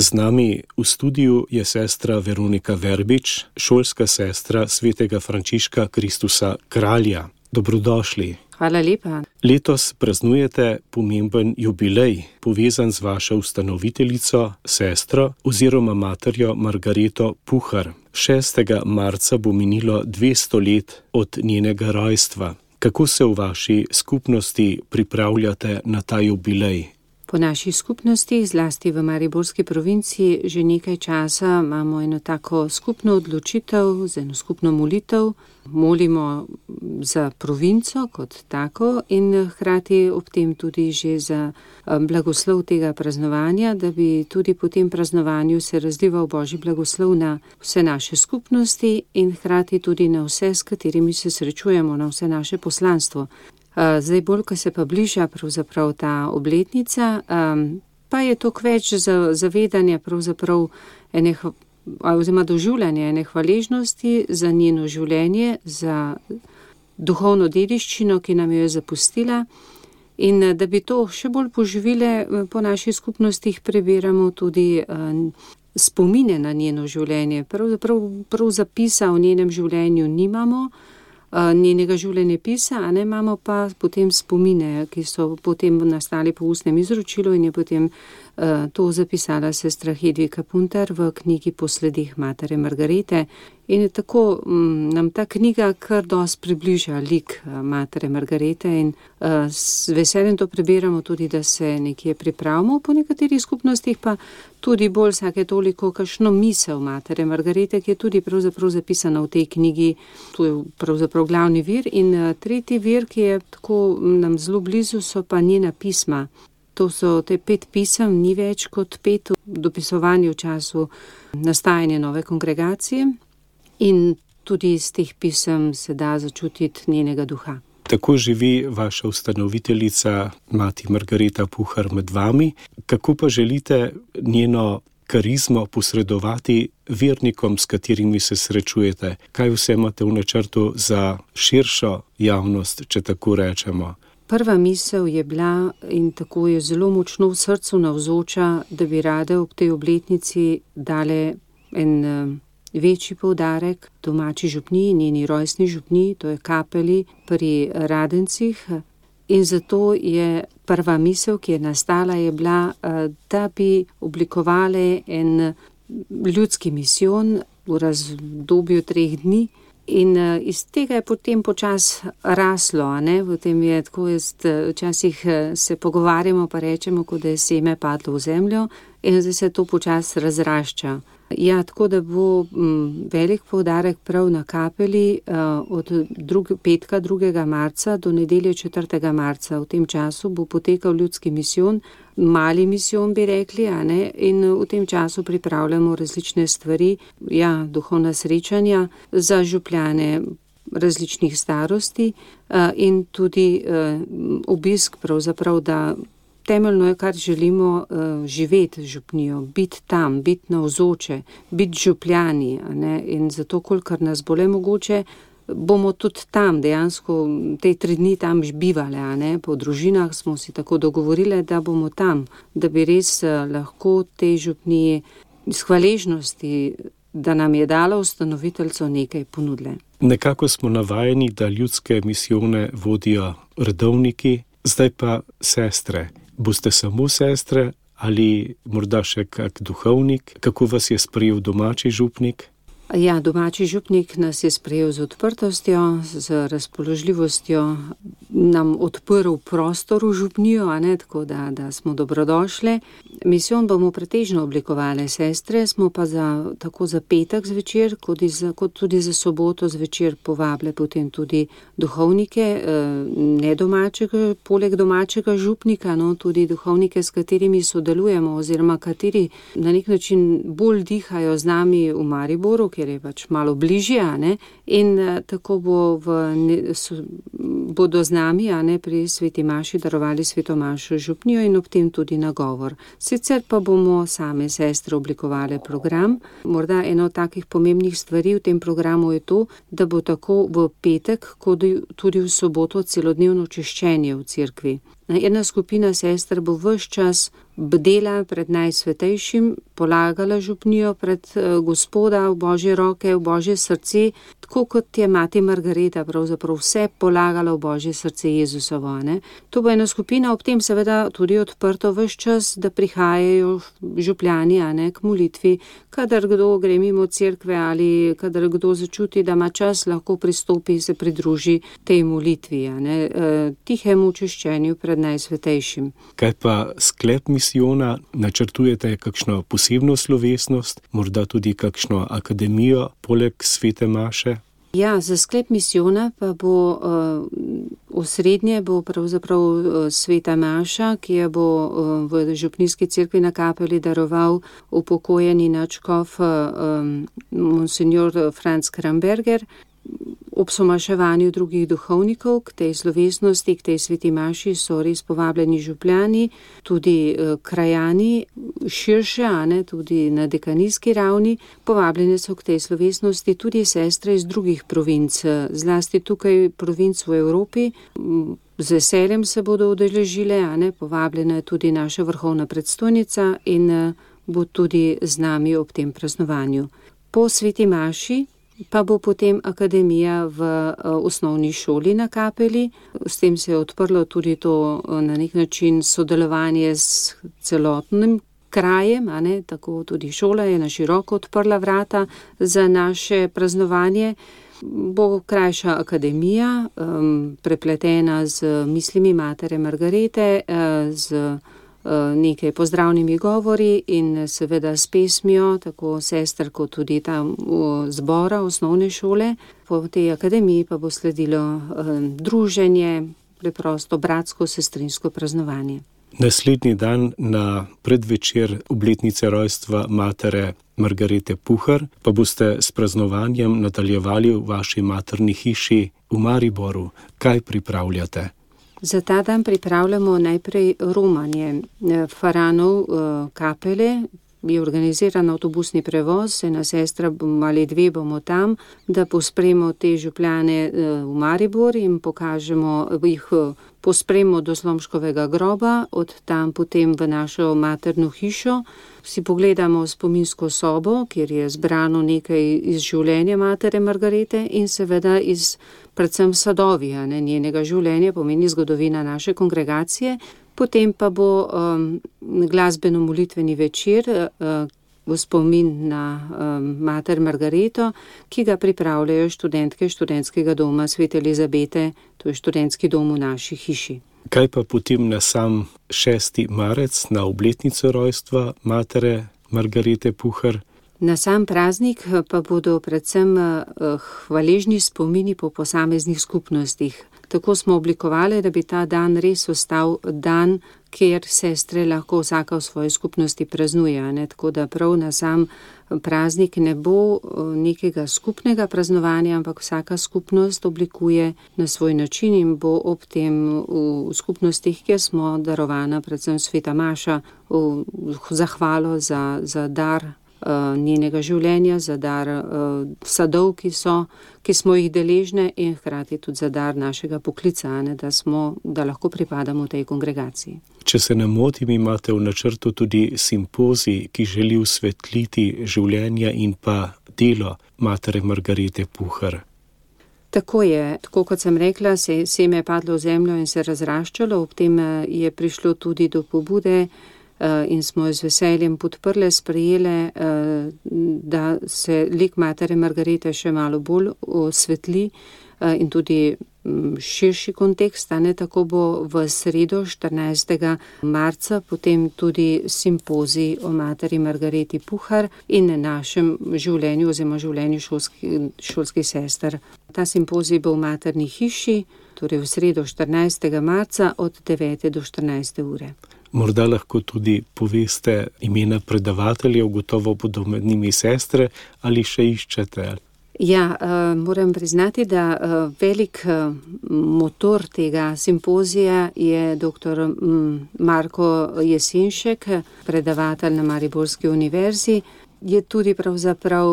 Z nami v studiu je sestra Veronika Verbič, šolska sestra svetega Frančiška Kristusa Kralja. Dobrodošli. Hvala lepa. Letos praznujete pomemben jubilej, povezan z vašo ustanoviteljico, sestro oziroma materjo Margareto Puhar. 6. marca bo minilo 200 let od njenega rojstva. Kako se v vaši skupnosti pripravljate na ta jubilej? Po naših skupnostih, zlasti v Mariborski provinciji, že nekaj časa imamo eno tako skupno odločitev, z eno skupno molitev. Molimo za provinco kot tako in hkrati ob tem tudi že za blagoslov tega praznovanja, da bi tudi po tem praznovanju se razlival Božji blagoslov na vse naše skupnosti in hkrati tudi na vse, s katerimi se srečujemo, na vse naše poslanstvo. Zdaj bolj, ko se pa bliža pravzaprav ta obletnica, pa je to več zavedanja pravzaprav oziroma doživljanja ene hvaležnosti za njeno življenje, za duhovno dediščino, ki nam jo je zapustila, in da bi to še bolj poživile po naših skupnostih, prebiramo tudi spomine na njeno življenje. Prav zapisa o njenem življenju nimamo, njenega življenjepisa, a ne, imamo pa potem spomine, ki so potem nastali po ustnem izročilu in je potem to zapisala sestra Hedvika Puntar v knjigi Po sledih matere Margarete. In tako nam ta knjiga kar dosti približa lik matere Margarete in s veseljem to prebiramo tudi, da se nekje pripravimo, po nekaterih skupnostih pa tudi bolj vsake toliko kakšno misel matere Margarete, ki je tudi pravzaprav zapisana v tej knjigi. To je pravzaprav glavni vir in tretji vir, ki je tako nam zelo blizu, so pa njena pisma. To so te 5 pisem, ni več kot 5 dopisovanj v času nastajanja nove kongregacije in tudi iz teh pisem se da začutiti njenega duha. Tako živi vaša ustanoviteljica, mati Margareta Puhar, med vami. Kako pa želite njeno karizmo posredovati vernikom, s katerimi se srečujete? Kaj vse imate v načrtu za širšo javnost, če tako rečemo? Prva misel je bila, in tako je zelo močno v srcu navzoča, da bi rade ob tej obletnici dale en večji poudarek domači župniji, njeni rojstni župniji, to je kapeli pri Radencih. In zato je prva misel, ki je nastala, je bila, da bi oblikovali en ljudski misijon v razdobju 3 dni. In iz tega je potem počas raslo, a ne? Potem je tako, včasih se pogovarjamo pa rečemo, kot da je seme padlo v zemljo in zdaj se to počas razrašča. Ja, tako da bo velik poudarek prav na kapeli od petka 2. marca do nedelje 4. marca. V tem času bo potekal ljudski misijon, mali misijon bi rekli, a ne? In v tem času pripravljamo različne stvari, ja, duhovna srečanja za župljane različnih starosti in tudi obisk pravzaprav, da temeljno je, kar želimo živeti župnijo, biti tam, biti navzoče, biti župljani, a ne? In zato, kolikor nas bo le mogoče, bomo tudi tam dejansko te 3 dni tam bivali, a ne? Po družinah smo si tako dogovorili, da bomo tam, da bi res lahko tej župniji iz hvaležnosti, da nam je dala ustanoviteljico, nekaj ponudile. Nekako smo navajeni, da ljudske misijone vodijo redovniki, zdaj pa sestre. Boste samo sestre ali morda še kak duhovnik? Kako vas je sprejel domači župnik? Ja, domači župnik nas je sprejel z odprtostjo, z razpoložljivostjo, nam odprl prostor v župnijo, a ne, tako da smo dobrodošle. Misijon bomo pretežno oblikovali sestre, smo pa tako za petek zvečer, kot tudi za soboto zvečer povabile potem tudi duhovnike, ne domačega, poleg domačega župnika, no, tudi duhovnike, s katerimi sodelujemo oziroma kateri na nek način bolj dihajo z nami v Mariboru, ker je pač malo bližje, a ne, in tako bodo z nami, a ne, pri sveti maši darovali sveto mašo župnijo in ob tem tudi nagovor. Sicer pa bomo same sestre oblikovali program. Morda eno od takih pomembnih stvari v tem programu je to, da bo tako v petek, kot tudi v soboto celodnevno čiščenje v cerkvi. Ena skupina sester bo ves čas bdela pred najsvetejšim, polagala župnijo pred Gospoda v Božje roke, v Božje srce, tako kot je mati Margareta pravzaprav vse polagala v Božje srce Jezusovo. Ne? To bo ena skupina, ob tem seveda tudi odprto ves čas, da prihajajo župljani k molitvi, kadar kdo gre mimo cerkve ali kadar kdo začuti, da ima čas, lahko pristopi, se pridruži tej molitvi, tihemu čiščenju pred najsvetejšim. Kaj pa sklep misijona? Načrtujete kakšno posebno slovesnost, morda tudi kakšno akademijo poleg svete maše? Ja, za sklep misijona pa bo osrednje bo pravzaprav sveta maša, ki jo bo v župnijski cerkvi na Kapeli daroval upokojeni nadškof monsignor Franz Kramberger. Ob somaševanju drugih duhovnikov k tej slovesnosti, k tej sveti maši so res povabljeni župljani, tudi krajani, širše, tudi na dekanijski ravni. Povabljene so k tej slovesnosti tudi sestre iz drugih provinc, zlasti tukaj provinc v Evropi. Z veseljem se bodo udeležile, povabljena je tudi naša vrhovna predstojnica in bo tudi z nami ob tem praznovanju. Po sveti maši pa bo potem akademija v osnovni šoli na Kapeli. S tem se je odprlo tudi to na nek način sodelovanje s celotnim krajem, tako tudi šola je na široko odprla vrata za naše praznovanje. Bo krajša akademija, prepletena z mislimi matere Margarete, z nekaj pozdravnimi govori in seveda s pesmijo, tako sester kot tudi tam zbora osnovne šole. Po tej akademiji pa bo sledilo druženje, preprosto bratsko, sestrinsko praznovanje. Naslednji dan na predvečer obletnice rojstva matere Margarete Puhar pa boste s praznovanjem nadaljevali v vaši materni hiši v Mariboru. Kaj pripravljate? Za ta dan pripravljamo najprej romanje faranov Kapele. Je organiziran avtobusni prevoz, ena sestra ali dve bomo tam, da pospremo te župljane v Maribor in jih pospremo do Slomškovega groba, od tam potem v našo materno hišo. Si pogledamo spominsko sobo, kjer je zbrano nekaj iz življenja matere Margarete in seveda iz predvsem sadovi, njenega življenja, pomeni zgodovina naše kongregacije. Potem pa bo glasbeno-molitveni večer v spomin na mater Margareto, ki ga pripravljajo študentke študentskega doma Svete Elizabete, to je študentski dom v naši hiši. Kaj pa potem na sam 6. marec, na obletnico rojstva matere Margarete Puhar? Na sam praznik pa bodo predvsem hvaležni spomini po posameznih skupnostih. Tako smo oblikovali, da bi ta dan res ostal dan, kjer sestre lahko vsaka v svoji skupnosti praznuje. Tako da prav na sam praznik ne bo nekega skupnega praznovanja, ampak vsaka skupnost oblikuje na svoj način in bo ob tem v skupnostih, kjer smo darovana, predvsem sveta maša, v zahvalo za dar njenega življenja, za dar sadov, ki smo jih deležne in hkrati tudi za dar našega poklica, da lahko pripadamo tej kongregaciji. Če se ne motim, imate v načrtu tudi simpozij, ki želi osvetliti življenje in pa delo matere Margarete Puhar. Tako je, tako kot sem rekla, seme je padlo v zemljo in se razraščalo, ob tem je prišlo tudi do pobude in smo jo z veseljem podprle, sprejele, da se lik matere Margarete še malo bolj osvetli in tudi širši kontekst, tako bo v sredo 14. marca potem tudi simpozij o materi Margareti Puhar in našem življenju oziroma življenju šolskih sester. Ta simpozij bo v materni hiši, torej v sredo 14. marca od 9. do 14. ure. Morda lahko tudi poveste imena predavateljev, gotovo bodo med njimi sestre, ali še iščete? Ja, moram priznati, da velik motor tega simpozija je dr. Marko Jesenšek, predavatelj na Mariborski univerzi. je tudi pravzaprav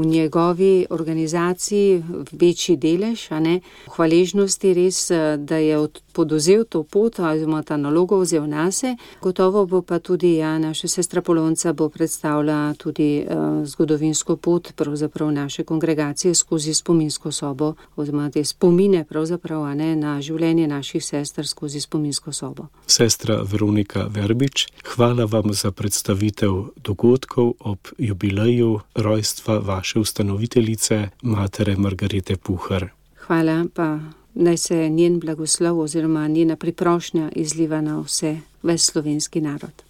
v njegovi organizaciji večji delež, a ne, hvaležnosti res, da je podozel to pot, oziroma ta nalogo vzel nase. Gotovo bo pa tudi, naša sestra Polonca bo predstavila tudi zgodovinsko pot pravzaprav naše kongregacije skozi spominsko sobo, oziroma te spomine pravzaprav, a ne, na življenje naših sester skozi spominsko sobo. Sestra Veronika Verbič, hvala vam za predstavitev dogodkov ob jubileju rojstva vaše ustanoviteljice, matere Margarete Puhar. Hvala, pa naj se njen blagoslov oziroma njena priprošnja izliva na ves slovenski narod.